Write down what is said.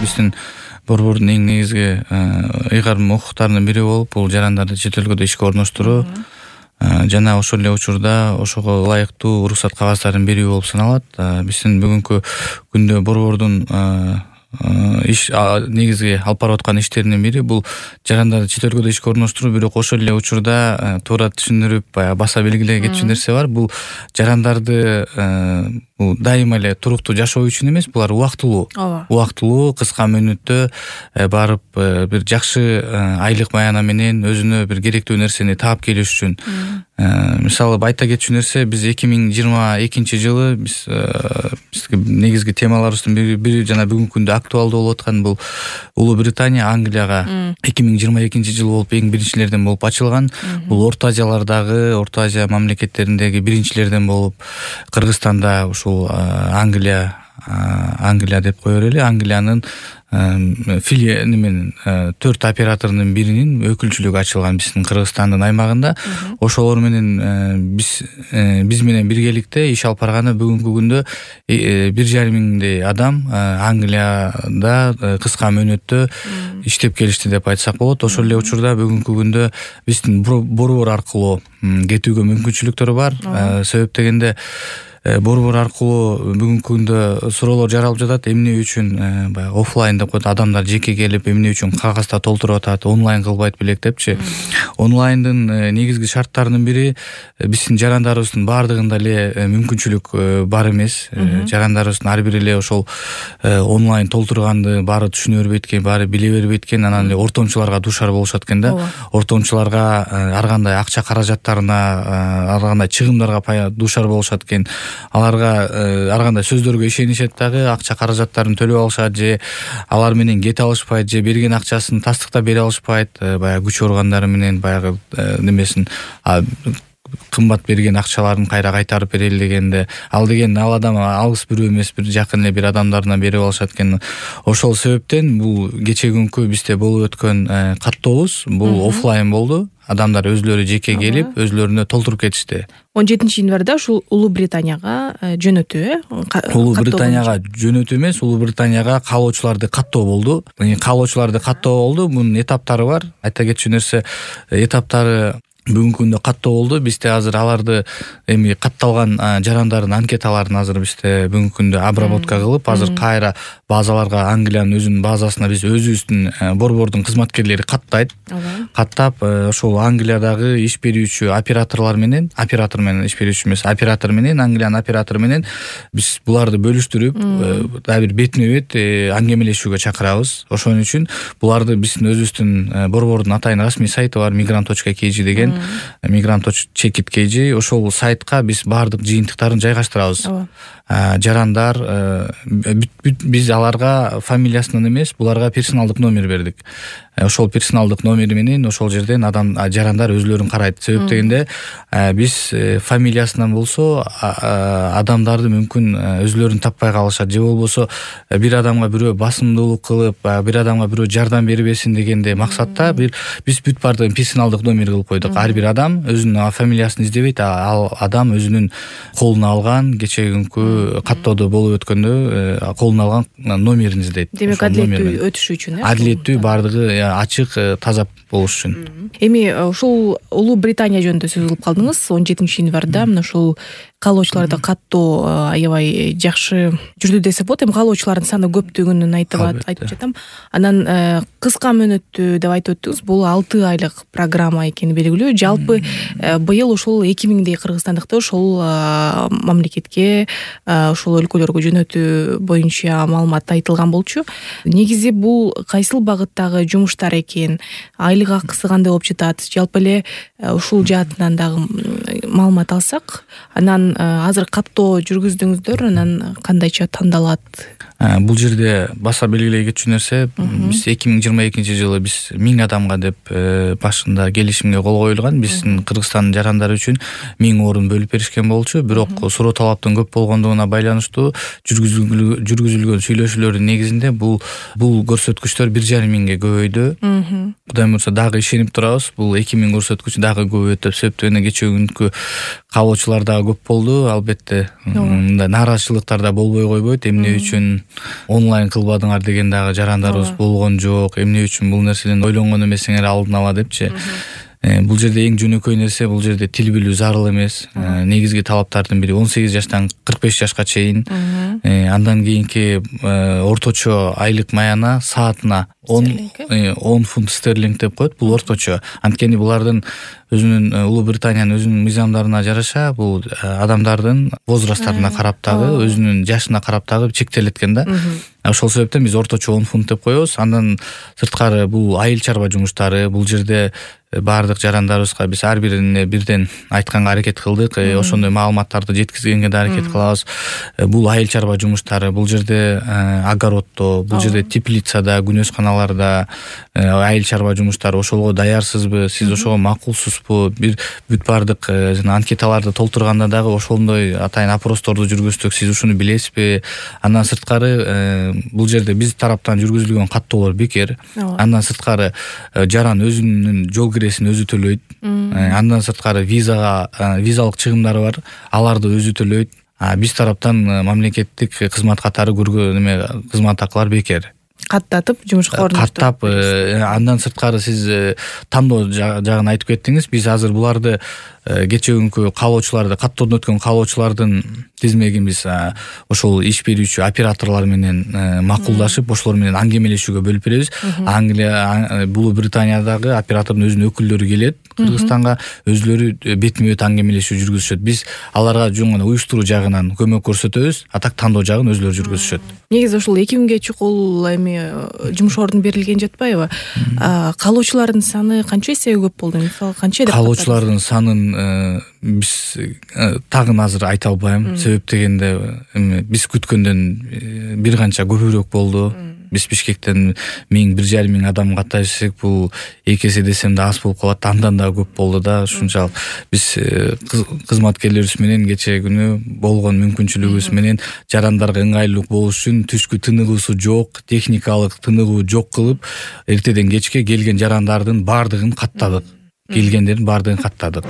биздин борбордун эң негизги ыйгарым укуктарынын бири болуп, бул жарандарды чет өлкөдө ишке орноштуруу жана ошол эле учурда ошого ылайыктуу уруксат кагаздарын берүү болуп саналат. Биздин бүгүнкү күндө борбордун иш негизги алып барып аткан иштеринин бири бул жарандарды чет өлкөдө ишке орноштуруу, бирок ошол эле учурда туура түшүндүрүп, баса белгилей кетчү нерсе бар. Бул жарандарды бул дайыма эле туруктуу жашоо үчүн эмес, булар убактылуу кыска мөөнөттө барып бир жакшы айлык маяна менен өзүнө бир керектүү нерсени таап келиш үчүн. Мисалы айта кетчү нерсе, биз 2022 жылы бизге негизги темаларыбыздын бири жана бүгүнкү күндө актуалдуу болуп аткан бул Улуу Британия Англияга 2022 жыл болуп эң биринчилерден болуп ачылган. Бул Орто Азиялардагы, Орто Азия мамлекеттериндеги биринчилерден болуп, Кыргызстанда ушул Англия деп кое берели. Англиянын менен 4 операторунун биринин өкүлчүлүгү ачылган биздин Кыргызстандын аймагында. Ошолор менен биз менен биргеликте иш алып барганы бүгүнкү күндө 1,5 миңдей адам Англияда кыска мөөнөттө иштеп келишти деп айтсак болот. Ошол эле учурда бүгүнкү күндө биздин борбор аркылуу кетүүгө мүмкүнчүлүктөр бар. Себеп дегенде борбор аркылуу бүгүнкү күндө суроолор жаралып жатат. Эмне үчүн баягы офлайн деп коет, адамдар жеке келип эмне үчүн кагазда толтуруп атат, онлайн кылбайт белек депчи. Онлайндын негизги шарттарынын бири биздин жарандарыбыздын баардыгында эле мүмкүнчүлүк бар эмес. Жарандарыбыздын ар бири эле ошол онлайн толтурганды баары түшүнө бербейт экен, баары биле бербейт экен. Анан эле ортомчуларга дуушар болушат экен да. Ортомчуларга ар кандай акча каражаттарына, ар кандай чыгымдарга дуушар болушат экен. Аларга ар кандай сөздөргө ишенишет дагы, акча каражаттарын төлөп алышат, же алар менен кете алышпайт, же берген акчасын тастыктап бере алышпайт. Баягы күч органдары менен баягы немесин кымбат берген акчаларын кайра кайтарып берели дегенде, ал адам алыс бирөө эмес, бир жакын эле бир адамдарына берип алышат экен. Ошол себептен бул кечеги бизде болуп өткөн каттообуз бул офлайн болду. Адамдар өзлөрү жеке келип, өзлөрүнө толтуруп кетишти. 17 январда ушул Улуу Британияга жөнөтүү Улуу Британияга жөнөтүү эмес, Улуу Британияга каалоочуларды каттоо болду. Каалоочуларды каттоо болду. Мунун этаптары бар. Айта кетчү нерсе, этаптары бүгүнкү күндө каттоо болду. Бизде азыр аларды эми катталган жарандардын анкеталарын азыр бизде бүгүнкү күндө обработка кылып, азыр кайра базаларга, Англиянын өзүнүн базасына биз өзүбүздүн борбордун кызматкерлери каттайт. Каттап ошол Англиядагы иш берүүчү оператор менен Англиянын оператору менен биз буларды бөлүштүрүп, дагы бир бетме-бет аңгемелешүүгө чакырабыз. Ошон үчүн буларды биздин өзүбүздүн борбордун атайын расмий сайты бар, migrant.kg деген, migrant.chekit.kg. Ошол сайтка биз баардык жыйынтыктарын жайгаштырабыз. Жарандар биз аларга фамилиясынан эмес, буларга персоналдык номер бердик. Ошол персоналдык номери менен ошол жерден жарандар өзлөрүн карайт. Себеп дегенде биз фамилиясынан болсо адамдарды мүмкүн өзлөрүн таппай калышат, же болбосо бир адамга бирөө басымдуулук кылып, бир адамга бирөө жардам бербесин дегенде максатта биз бүт баардыгын персоналдык номер кылып койдук. Ар бир адам өзүнүн фамилиясын издебейт, ал адам өзүнүн колуна алган кечеги каттоодо болуп өткөндө колуна алган номерин издейт. Демек адилеттүү өтүшү үчүн, адилеттүү, баардыгы ачык, таза болуш үчүн. Эми ушул Улуу Британия жөнүндө сөз кылып калдыңыз. 17 январда мына ушул каалоочуларды каттоо аябай жакшы жүрдү десек болот. Эми каалоочулардын саны көптөгөнүн айтып жатам. Анан кыска мөөнөттүү деп айтып өттүңүз. Бул 6 айлык программа экени белгилүү. Жалпы быйыл ушул 2000дей кыргызстандыкты ошол мамлекетке, ошол өлкөлөргө жөнөтүү боюнча маалымат айтылган болчу. Негизи бул кайсыл багыттагы жумуштар экен, айлык акысы кандай болуп жатат? Жалпы эле ушул жаатынан дагы маалымат алсак, анан азыр каттоо жүргүздүңүздөр, анан кандайча тандалат? Бул жерде баса белгилей кетчү нерсе, биз 2022 жылы биз 1000 адамга деп башында келишимге кол коюлган. Биздин Кыргызстандын жарандары үчүн 1000 орун бөлүп беришкен болчу. Бирок суроо талаптын көп болгондугуна байланыштуу жүргүзүлгөн сүйлөшүүлөрдүн негизинде бул көрсөткүчтөр 1,5 миңге көбөйдү. Кудай буйрса дагы ишенип турабыз. Бул 2000 көрсөткүч дагы көбөйөт деп себептөгөнө кечеги күнкү каалоочулар дагы көп болду. болду, албетте. Мындай нааразычылыктар да болбой койбойт. Эмне үчүн онлайн кылбадыңар деген дагы жарандарыбыз болгон жок. Эмне үчүн бул нерседен ойлонгон эмесиңер алдын ала депчи. Бул жерде эң жөнөкөй нерсе, бул жерде тил билүү зарыл эмес. Негизги талаптардын бири 18 жаштан 45 жашка чейин. Андан кийинки орточо айлык маяна саатына 10 фунт стерлинг деп коет. Бул орточо. Анткени булардын өзүнүн Улуу Британиянын өзүнүн мыйзамдарына жараша бул адамдардын возрасттарына карап дагы, өзүнүн жашына карап дагы чектелет экен да. Ошол себептен биз орточо 10 фунт деп коебуз. Андан сырткары бул айыл чарба жумуштары, бул жерде баардык жарандарыбызга биз ар бирине бирден айтканга аракет кылдык. Ошондой маалыматтарды жеткизгенге да аракет кылабыз. Бул айыл чарба жумуштары, бул жерде огороддо, бул жерде теплицада, күнөсканаларда айыл чарба жумуштары, ошого даярсызбы, сиз ошого макулсузбу? Бир бүт баардык анкеталарды толтурганда дагы ошондой атайын опросторду жүргүздүк. Сиз ушуну билесизби? Андан сырткары бул жерде биз тараптан жүргүзүлгөн каттоолор бекер. Андан сырткары жаран өзүнүн жол киресин өзү төлөйт. Андан сырткары визалык чыгымдары бар, аларды өзү төлөйт. Биз тараптан мамлекеттик кызмат катары көргөн кызмат акылар бекер. Каттатып жумушка орноштуруп. Каттап, андан сырткары сиз тандоо жагын айтып кеттиңиз. Биз азыр буларды кечээ күнкү каалоочуларды, каттоодон өткөн каалоочулардын тизмегин биз ошол иш берүүчү операторлор менен макулдашып, ошолор менен аңгемелешүүгө бөлүп беребиз. Англия, Улуу Британиядагы оператордун өзүнүн өкүлдөрү келет Кыргызстанга, өзүлөрү бетме бет аңгемелешүү жүргүзүшөт. Биз аларга жөн гана уюштуруу жагынан көмөк көрсөтөбүз, а так тандоо жагын өзүлөрү жүргүзүшөт. Негизи ушул 2000ге чукул эми жумуш ордун берилген жатпайбы? Каалоочулардын саны канча эсеге көп болду? Мисалы, канча деп каалоочулардын санын биз тагын азыр айта албайм. Себеп дегенде биз күткөндөн бир канча көбүрөөк болду. Биз Бишкектен 1000–1500 адам каттайсек, бул 2 эсе десем да аз болуп калат. Андан да көп болду да. Ушунчалык биз кызматкерлерибиз менен кечээ күнү болгон мүмкүнчүлүгүбүз менен жарандарга ыңгайлуу болуш үчүн түшкү тыныгуусу жок, техникалык тыныгуу жок кылып, эртеден кечке келген жарандардын баардыгын каттадык. Келгендердин баардыгын каттадык.